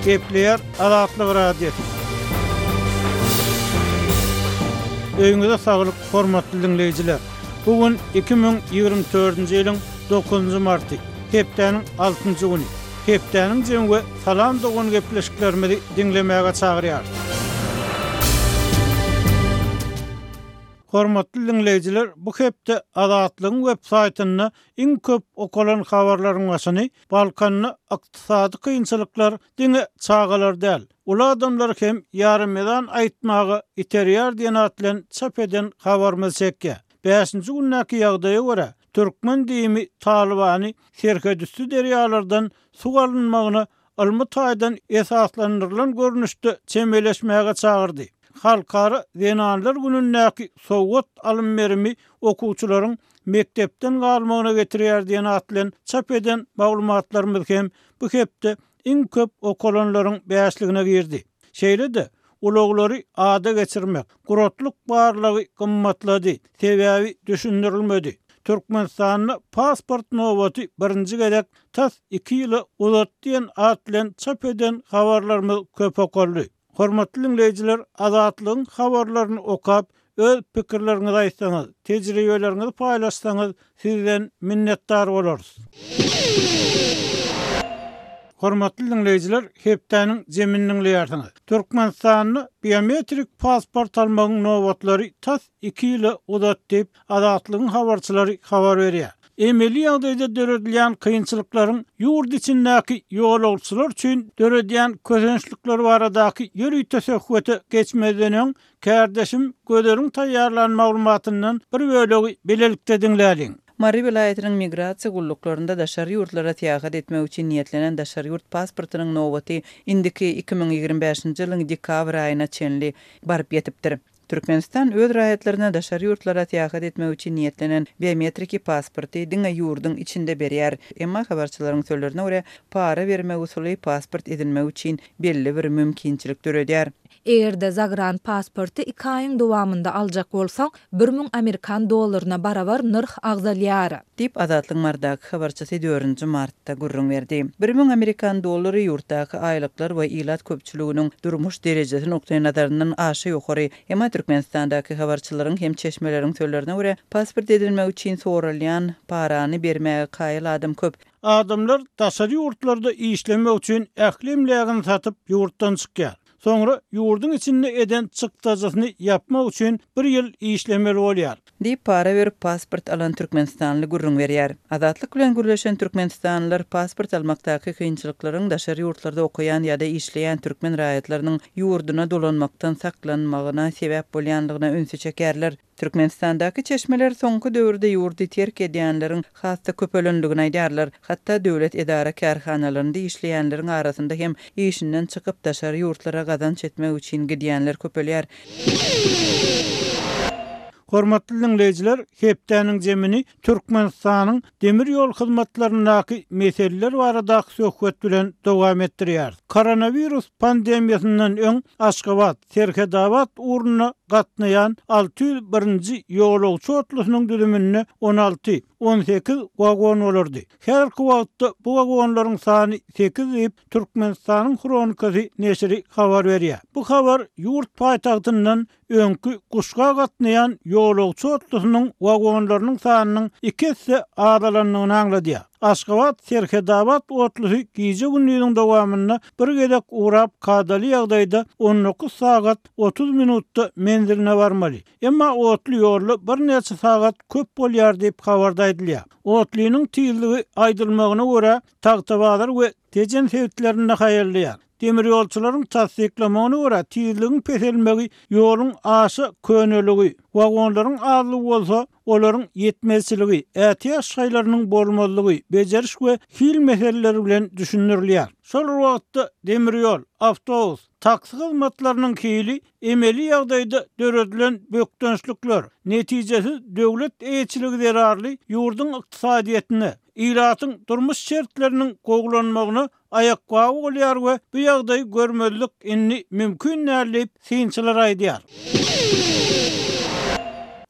Gepleýär Azatlyk Radiosy. Öýüňize saglyk, hormatly diňleýjiler! Bu gün 2024-nji ýylyň dokuzynjy marty, hepdäniň altynjy güni. Hepdäniň jemi we Salam dogan gepleşiklerimizi diňlemäge çagyrýarys. Hormatly diňleýjiler, bu hepde Azatlygyň web saýtynda iň köp okalan habarlaryň başyny Balkanda ykdysady kynçylyklar diňe çagalary däl, uly adamlary hem ýaremezan aýtmaga iterýär diýen at bilen çap eden habarymyz çekýär. Bäşinji gündäki ýagdaýa görä, türkmen DIM-i Talybany serhetüsti derýalardan suw alynmagyna ylmy taýdan esaslandyrylan görnüşde çemeleşmäge çagyrdy. Halkara zenanlar günündäki sowgat alym-berimi okuwçylaryň mekdepden galmagyna getirýär diýen at bilen çap eden maglumatlarymyz hem bu hepde iň köp okalanlaryň bäşligine girdi. Şeýle-de, ulaglary ada geçirmek, guratlyk barlagy gymmatlady, sebäbi düşündirilmedi. Türkmenistanda pasport nobaty birinji gezek tas iki ýyla uzatdy diýen at bilen çap eden habarlarymyz köp okaldy. Hormatly diňleýjiler, Azatlygyň habarlaryny okap, öz pikirleriňizi aýtsaňyz, tejribeleriňizi paýlaşsaňyz sizden minnetdar bolarys. Hormatly diňleýjiler, hepdäniň jemini diňleýärsiňiz. Türkmenistanda biometrik pasport almagyň nobatlary tas iki ýyla uzatdy diýip, Azatlygyň habarçylary habar berýär. Emeli ýagdaýda döredilýän kynçylyklaryň ýurt içindäki ýolagçylar üçin döredýän kösençlikleri baradaky ýörite söhbete geçmezden öň, kärdeşim Gözeliň taýýarlan maglumatyndan bir bölegi bilelikde diňläliň. Mary welaýatynyň migrasiýa gulluklarynda daşary ýurtlara syýahat etmek üçin niýetlenen daşary ýurt pasportynyň nobaty indiki 2025-nji ýylyň dekabr aýyna çenli baryp ýetipdir. Türkmenistan öz raýatlaryna daşary ýurtlara syýahat etmek üçin niýetlenen biometriki pasporty diňe ýurduň içinde berýär. Emma habarçylaryň sözlerine görä, para bermek usuly pasport edinmek üçin belli bir mümkinçilik döredýär. Eger-de zagran pasporty iki aýyň dowamynda aljak bolsaň, 1000 amerikan dollaryna barabar nyrh agzalýar. Diýip, Azatlygyň Marydaky habarçysy dördünji martda gürrüň berdi. 1000 amerikan dollary ýurtdaky aýlyklar we ilat köpçüliginiň durmuş derejesi nukdaýnazaryndan aşa ýokary. Emma Türkmenistandaky habarçylaryň hem çeşmeleriň sözlerine görä, pasport edinmek üçin soralýan parany bermäge kaýyl adam köp. Adamlar daşary ýurtlarda işlemek üçin ähli emlägini satyp ýurtdan çykýar. Soňra ýurduň içinde eden çykdajysyny ýapmak üçin bir ýyl işlemeli bolýar. Diýip, para berip pasport alan türkmenistanly gürrüň berýär. Azatlyk bilen gürleşen türkmenistanlylar pasport almakdaky kynçylyklaryň daşary ýurtlarda okaýan ýa-da işleýän türkmen raýatlarynyň ýurduna dolanmakdan saklanmagyna sebäp bolýandygyna ünsi çekýärler. Türkmenistandaky çeşmeler soňky döwürde ýurdy terk edýänleriň has-da köpelendigini aýdýarlar. Hatda döwlet edara-kärhanalarynda işleýänleriň arasynda hem işinden çykyp, daşary ýurtlara gazanç etmek üçin gidýänler köpelýär. Hormatly diňleýjiler, hepdäniň jemini Türkmenistanyň demir ýol hyzmatlaryndaky meseleler baradaky söhbet bilen dowam etdirýäris. Koronawirus pandemiýasyndan öň Aşgabat, Serhedabat ugrunda gatnaýan 601-nji ýolagçy otlusynyň düzüminde 16, 18 wagon bolardy. Häzirki wagtda bu wagonlaryň sany sekiz diýip, Türkmenistanyň Hronikasy neşiri habar berýär. Bu habar ýurt paýtagtyndan öňki Guşga gatnaýan ýolagçy otlusynyň wagonlarynyň sanynyň iki esse azalandygyny aňladýar. Aşgabat, Serhedabat otlusy gije-gündiziň dowamynda bir gezek ugrap kadaly ýagdaýda 19 sagat 30 minutda menziline barmaly. Emma otly ýolda birnäçe sagat köp bolýar diýip habarda aýdylýar. Otlynyň tizligi aýdylmagyna görä Tagtabazar we Tejen sebitlerinde haýallaýar. Demirýolçularyň tassyklamagyna görä, tizligiň peselmegi ýoluň aşa köneligi, wagonlaryň azlygy bolsa, olaryň ýetmezçiligi, ätiýaç şaýlarynyň bolmazlygy, bejeriş we hil meseleleri bilen düşündirilýär. Şol bir wagtda, demirýol, awtobus, taksi hyzmatlarynyň hili emeli ýagdaýda döredilen bökdençlikler, netijesiz döwlet eýeçiligi zerarly ýurduň ykdysadyýetine, ilatyň durmuş şertleriniň gowulanmagyna aýakgaby bolýar we bu ýagdaýy görmezlik indi mümkin däl diýip, synçylar aýdýar.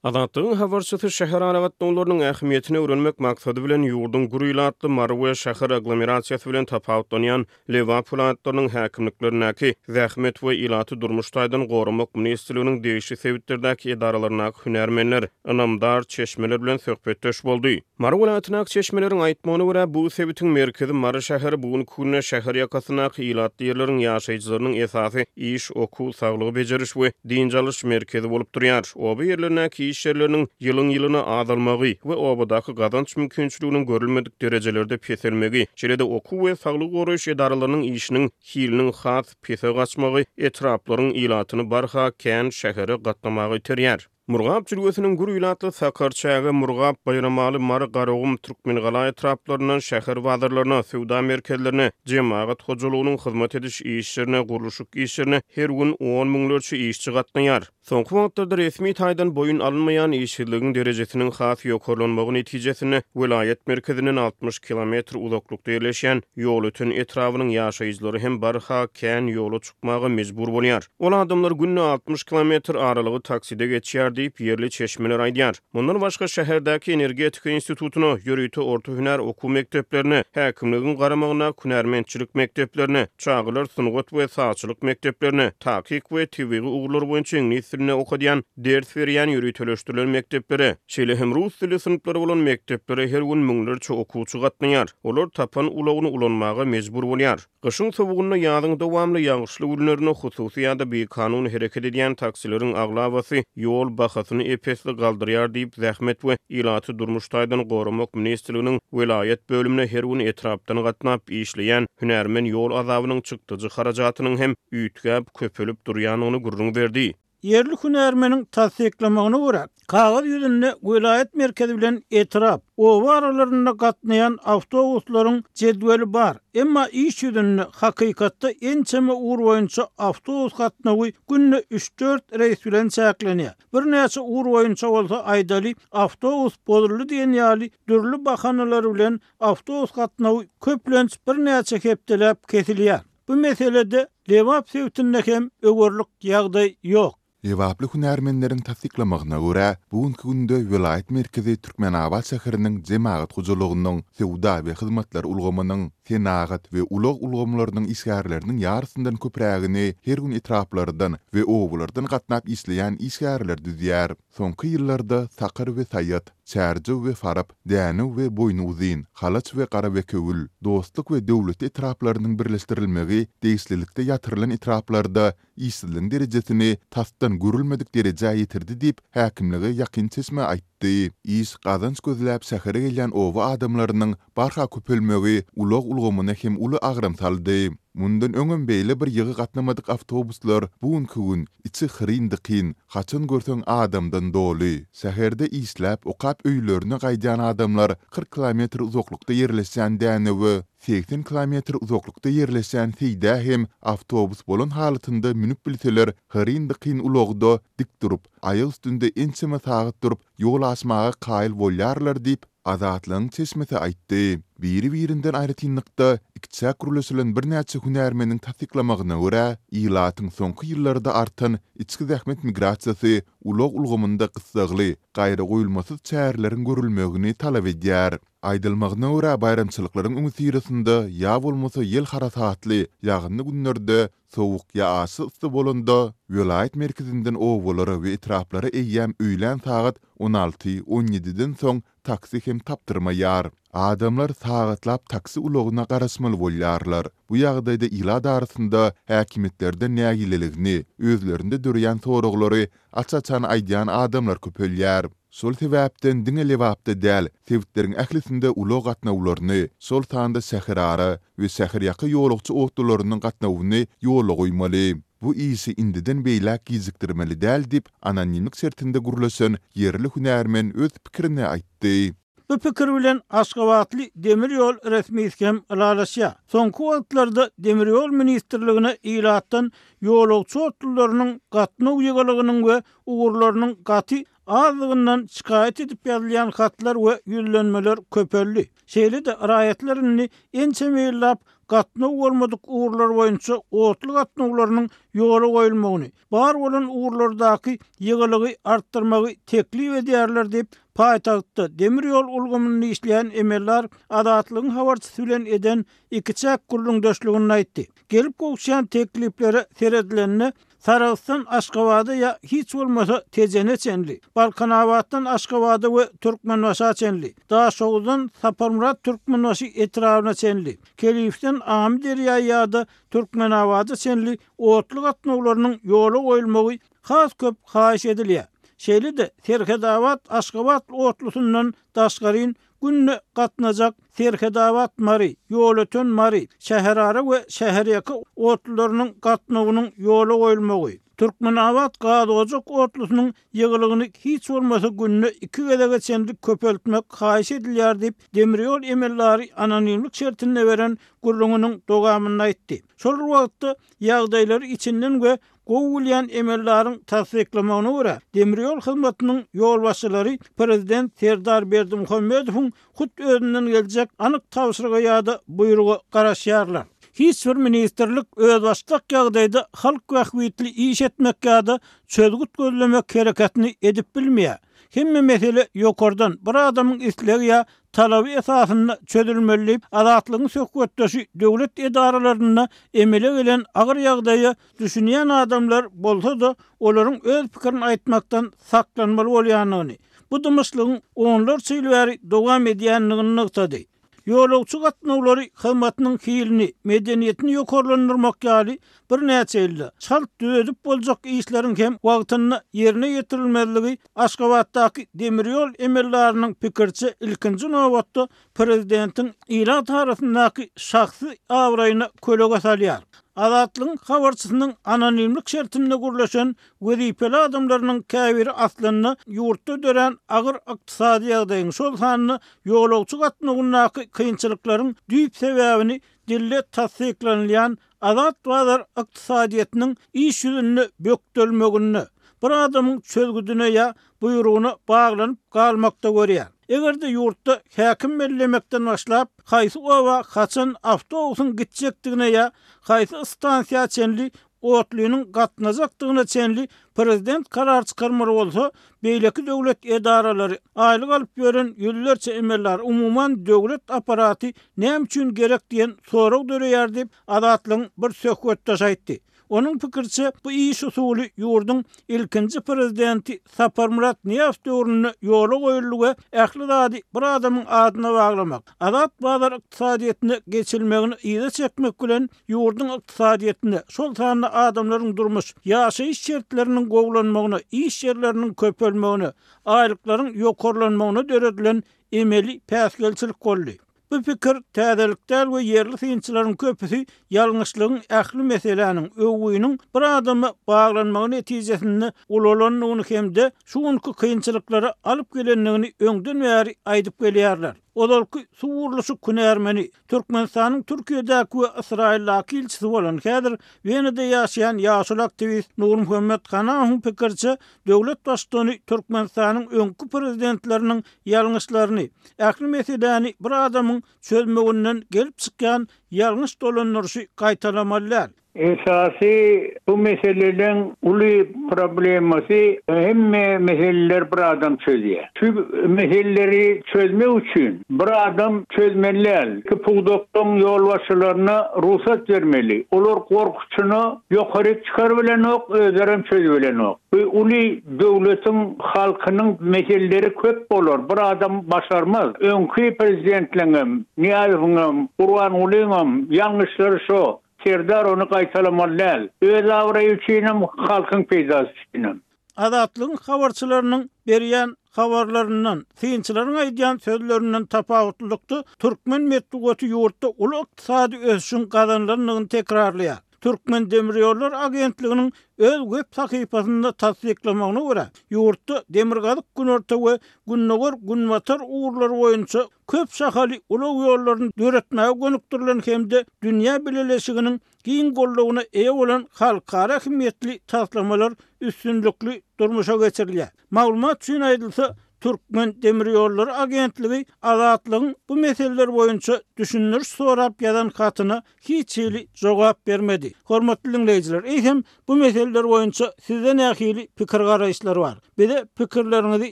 Azatlygyň habarçysy şäher aragatnawlarynyň ähmiýetini öwrenmek maksady bilen, ýurduň gür ilatly Mary we şäher aglomerasiýasy bilen tapawutlanýan Lebap welaýatlarynyň häkimliklerindäki Zähmet we ilaty durmuş taýdan goramak ministrliginiň degişli sebitlerdäki edaralaryndaky hünärmenler, ynamdar çeşmeler bilen söhbetdeş boldy. Mary welaýatyndaky çeşmeleriň aýtmagyna görä, bu sebitiň merkezi Mary şäheri bu günki günde şäher ýakasyndaky ilatly ýerleriň ýaşaýjylarynyň esasy iş, okuw, saglygy bejeriş we dynç alyş merkezi bolup durýar. Oba ýerlerindäki iş ýerleriniň ýylyň-ýylyna azalmagy we obadaky gazanç mümkinçiliginiň görülmedik derejelerde peselmegi, şeýle-de okuw we saglygy goraýyş edaralarynyň işiniň hiliniň has pese gaçmagy etraplaryň ilatyny barha kän şähere gatnamaga iterýär. Murgap jülgesiniň gür ilatly Sakarçäge, Murgap, Baýramaly, Mary, Garagum, Türkmengala etraplaryndan şäher bazarlaryna, söwda merkezlerine, jemagat hojalygynyň hyzmat ediş işlerine, gurluşyk işlerine her gün on müňlerçe işçi gatnaýar. Soňky wagtlarda resmi taýdan boýun alynmaýan işsizligiň derejesiniň has ýokarlanmagy netijesinde welaýat merkezinden 60 kilometr uzaklykda ýerleşýän Ýolöten etrabynyň ýaşaýjylary hem barha kän ýola çykmaga mejbur bolýar. Ol adamlar günde 60 kilometr aralygy takside geçýär diýip, ýerli çeşmeler aýdýar. Mundan başga, şäherdäki Energetika institutyna, ýörite orta hünär okuw mekdeplerine, häkimligiň garamagyndaky hünärmentçilik mekdeplerine, çagalar sungat we sazçylyk mekdeplerine, takyk we tebigy ugurlar boýunça iňlis dilinde okadýan, ders berýän ýöriteleşdirilen mekdeplere, şeýle hem rus dilli synplary bolan mekdeplere her gün müňlerçe okuwçy gatnaýar. Olar tapan ulagyny ulanmaga mejbur bolýar. Gyşyň sowugynda, ýazyň dowamly ýagyşly günlerinde hususy ýa-da bikanun hereket edýän taksileriň aglabasy ýol bahasyny ep-esli galdyrýar diýip, Zähmet we ilaty durmuş taýdan goramak ministrliginiň welaýat bölümine her gün etrapdan gatnap işleýän hünärmen ýol azabynyň çykdajy harajatynyň hem üýtgäp, köpelip durýandygyny gürrüň berdi. Ýerli hünärmeniň tassyklamagyna görä, kagyz ýüzünde welaýat merkezi bilen etrap, oba aralarynda gatnaýan awtobuslaryň jedweli bar, emma iş ýüzünde, hakykatda ençeme ugur boýunça awtobus gatnawy günde üç-dört reýs bilen çäklenýär. Birnäçe ugur boýunça bolsa, aýdaly, awtobus bozuldy diýen ýaly dürli bahanalar bilen awtobus gatnawy köplenç birnäçe hepdeläp kesilýär. Bu meselede Lebap sebitinde hem öwerlik ýagdaý ýok. Lebaply hünärmenleriň tassyklamagyna görä, bu günki günde welaýat merkezi Türkmenabat şäheriniň jemagat hojalygynyň, söwda we hyzmatlar ulgamynyň, senagat we ulag ulgamlarynyň işgärleriniň ýarysyndan köprägini her gün etraplardan we obalardan gatnap işleýän işgärler düzýär. Soňky ýyllarda Sakar we Saýat, Çärjew we Farap, Dänew we Boýnyuzyn, Halaç we Garabekewül, Dostluk we Döwletli etraplarynyň birleşdirilmegi degişlilikde ýatyrylan etraplarda işsizligiň derejesini tasdan görülmedik derejä ýetirdi diýip, häkimlige ýakyn çeşme aýtdy. Iş, gazanç gözläp şähere gelýän oba adamlarynyň barha köpelmegi ulag ulgamyna hem uly agram saldy. Mundan öňem beýle bir ýygy gatnamadyk awtobuslar bu günki gün içi hyryn-dykyn, haçan görseň adamdan doly. Şäherde işläp, okap öýlerine gaýdýan adamlar 40 kilometr uzaklykda ýerleşýän Dänewe, 80 kilometr uzaklykda ýerleşýän Seýdä hem awtobus bolan halatynda münüp bilseler hyryn-dykyn ulagda dik durup, aýak üstünde ençeme sagat durup ýol aşmaga kaýyl bolýarlar diýip, Azatlygyň çeşmesi aýtdy. Biri-birinden aýratynlykda ikiçäk gürleşilen birnäçe hünärmeniň tassyklamagyna görä, ilatyň soňky ýyllarda artan içki zähmet migrasiýasy ulag ulgamynda gyssagly, gaýragoýulmasyz çäreleriň görülmegini talap edýär. Aýdylmagyna görä, baýramçylyklaryň öňüsyrasynda ýa bolmasa ýel harasatly, ýagynly günlerde sowuk ýa aşa yssy bolanda, welaýat merkezinden obalara we etraplara eýýäm öýlän sagat on alty, on ýediden soň taksi hem tapdyrmaýar. Adamlar sagatlap taksi ulagyna garaşmaly bolýarlar. Bu ýagdaýda ilat arasynda häkimiýetlerden nägileligini, özlerinde döreýän soraglary aç-açan aýdýan adamlar köpelýär. Şol sebäpden diňe Lebapda däl, sebitleriň ählisinde ulag gatnawlaryny, şol sanda şäherara we şäherýaka ýolagçy otlularynyň gatnawyny ýola goýmaly. Bu işi indiden beýläk gijikdirmeli däl diýip, anonimlik şertinde gürleşen ýerli hünärmen öz pikirini aýtdy. Bu pikir bilen aşgabatly demir ýol resmisi hem ylalaşýar. Soňky wagtlarda Demir ýol ministrligine ilatdan ýolagçy otlularynyň gatnaw ýygylygynyň we ugurlarynyň gaty azdygyndan şikaýat edip ýazylýan hatlar we ýüzlenmeler köpeldi. Şeýle-de, raýatlar indi ençeme ýyllap gatnaw bolmadyk ugurlar boýunça otly gatnawlarynyň ýola goýulmagyny, bar bolan ugurlardaky ýygylygy artdyrmagy teklip edýärler diýip, paýtagtda demir ýol ulgamynda işleýän emeldar Azatlygyň habarçysy bilen eden ikiçäk gürrüňdeşliginde aýtdy. Gelip gowuşýan tekliplere seredilende, Sarahsdan Aşgabada ýa hiç bolmasa Tejene çenli, Balkanabatdan Aşgabada we Türkmenbaşa çenli, Daşoguzdan Saparmyrat Türkmenbaşy etrabyna çenli, Kelifden Amyderýa ýa-da Türkmenabada çenli otly gatnawlarynyň ýola goýulmagy has köp haýyş edilýär. Şeýle-de Serhedabat, Aşgabat otlusyndan daşgaryn günde gatnajak Serhedabat-Mary, Ýolöten-Mary, şäherara we şäherýaka otlularynyň gatnawynyň ýola goýulmagy, Türkmenabat-Gazojak otlusynyň ýygylygyny hiç bolmasa günde iki gezege çenli köpeltmek haýyş edilýär diýip, demirýol emeldary anonimlik şertinde beren gürrüňiniň dowamynda aýtdy. Şol bir wagtda, ýagdaýlary içinden we Gowy bilýän emeldaryň tassyklamagyna görä, demirýol hyzmatynyň ýolbaşçylary prezident Serdar Berdimuhamedowyň hut özünden geljek anyk tabşyryga ýa-da buýruga garaşýarlar. Hiç bir ministrlik özbaşdak ýagdaýda halk bähbitli iş etmek ýa-da çözgüt gözlemek hereketini edip bilmeýär. Hemme mesele ýokardan, bir adamyň islegi ýa talaby esasynda çözülmeli diýip, Azatlygyň söhbetdeşi döwlet edaralarynda emele gelen agyr ýagdaýa düşünýän adamlar bolsa-da, olaryň öz pikirini aýtmakdan saklanmaly bolýandygyny, bu dymyşlygyň onlarça ýyl bäri dowam edýändigini nygtady. Ýolagçy gatnawlary hyzmatynyň hilini, medeniýetini ýokarlandyrmak ýaly birnäçe ýylda çalt düzedip boljak işleriň hem wagtynda ýerine ýetirilmezligi Aşgabatdaky demir ýol emeldarynyň pikiriçe ilkinji nobatda prezidentiň ilat arasyndaky şahsy abraýyna kölege salýar. Azatlygyň habarçysynyň anonimlik şertinde gürleşen wezipeli adamlarynyň käbiri aslynda ýurtda dörän agyr ykdysady ýagdaýyň, şol sanda ýolagçy gatnawyndaky kynçylyklaryň düýp sebäbini dilde tassyklanylýan azat bazar ykdysadyýetiniň iş ýüzünde bökdelmeginde, bir adamyň çözgüdine ýa buýrugyna baglanyp galmakda görýär. Eger-de ýurtda häkim bellemekden başlap, haýsy oba haçan awtobusyň gitjekdigine ýa haýsy stansiýa çenli otlynyň gatnajakdygyna çenli prezident karar çykarmaly bolsa, beýleki döwlet edaralary, aýlyk alyp ýören ýüzlerçe emeldar, umuman döwlet apparaty näme üçin gerek diýen sorag döreýär diýip, Azatlygyň bir söhbetdeşi aýtdy. Onuň pikiriçe, bu iş usuly ýurduň ilkinji prezidenti Saparmyrat Nyýazow döwründe ýola goýuldy we ähli zady bir adamyň adyna baglamak, azat bazar ykdysadyýetine geçilmegini yza çekmek bilen ýurduň ykdysadyýetine, şol sanda adamlaryň durmuş, ýaşaýyş şertleriniň gowulanmagyna, iş ýerleriniň köpelmegine, aýlyklaryň ýokarlanmagyna döredilen emeli päsgelçilik boldy. Bu pikir täzelik däl we ýerli synçylaryň köpüsi ýalňyşlygyň ähli meseläniň, öwgüniň bir adama baglanmagy netijesinde ulalandygyny hem-de şu günki kynçylyklara alyp gelendigini öňden bäri aýdyp gelýärler. Ozalky suw gurluşyk hünärmeni, Türkmenistanyň Türkiýedäki we Ysraýyldaky ilçisi bolan, häzir Wenada ýaşaýan ýaşuly aktiwist Nurmuhammet Hanahowyň pikiriçe, döwlet baştutany Türkmenistanyň öňki prezidentleriniň ýalňyşlaryny, ähli meseläni bir adamyň çözmeginden gelip çykýan ýalňyş dolandyryşy gaýtalamaly däl. Esasy bu meseleleň uly problemasy hemme meseleleri bir adam çözýär. Şu meseleleri çözmek üçin bir adam çözmeli däl. Ki pudaklaryň ýolbaşçylaryna rugsat bermeli. Olar gorkuçyna ýokaryk çykarybilenok, özlerem çözübilenok. Bu uly döwletiň halkynyň meseleleri köp bolar, bir adam başarmaz. Öňki prezidentleňem, Nyýazowyňam, Gurbangulyňam ýalňyşlary şo. Serdar ony gaýtalamaly däl. Öz abraýy üçinem, halkyň peýdasy üçinem. Azatlygyň habarçylarynyň berýän habarlaryndan, synçylaryň aýdýan sözlerinden tapawutlylykda, türkmen metbugaty ýurtda uly ykdysady ösüşiň gazanylandygyny tekrarlaýar. Türkmendemirýollary agentliginiň öz web sahypasynda tassyklamagyna görä, ýurtda demirgazyk-günorta we gündogar-günbatar ugurlary boýunça köp şahaly ulag ýollaryny döretmäge gönükdirilen hem-de dünýä bileleşiginiň giň goldawyna eýe bolan halkara ähmiýetli taslamalar üstünlikli durmuşa geçirilýär. Maglumat üçin aýdylsa, Türkmendemirýollary agentligi Azatlygyň bu meseleler boýunça düşündiriş sorap ýazan hatyna hiç hili jogap bermedi. Hormatly diňleýjiler, eýsem, bu meseleler boýunça sizde nähili pikir-garaýyşlar bar? Bize pikirleriňizi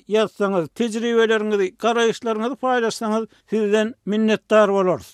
ýazsaňyz, tejribeleriňizi, garaýyşlaryňyzy paýlaşsaňyz sizden minnetdar bolarys.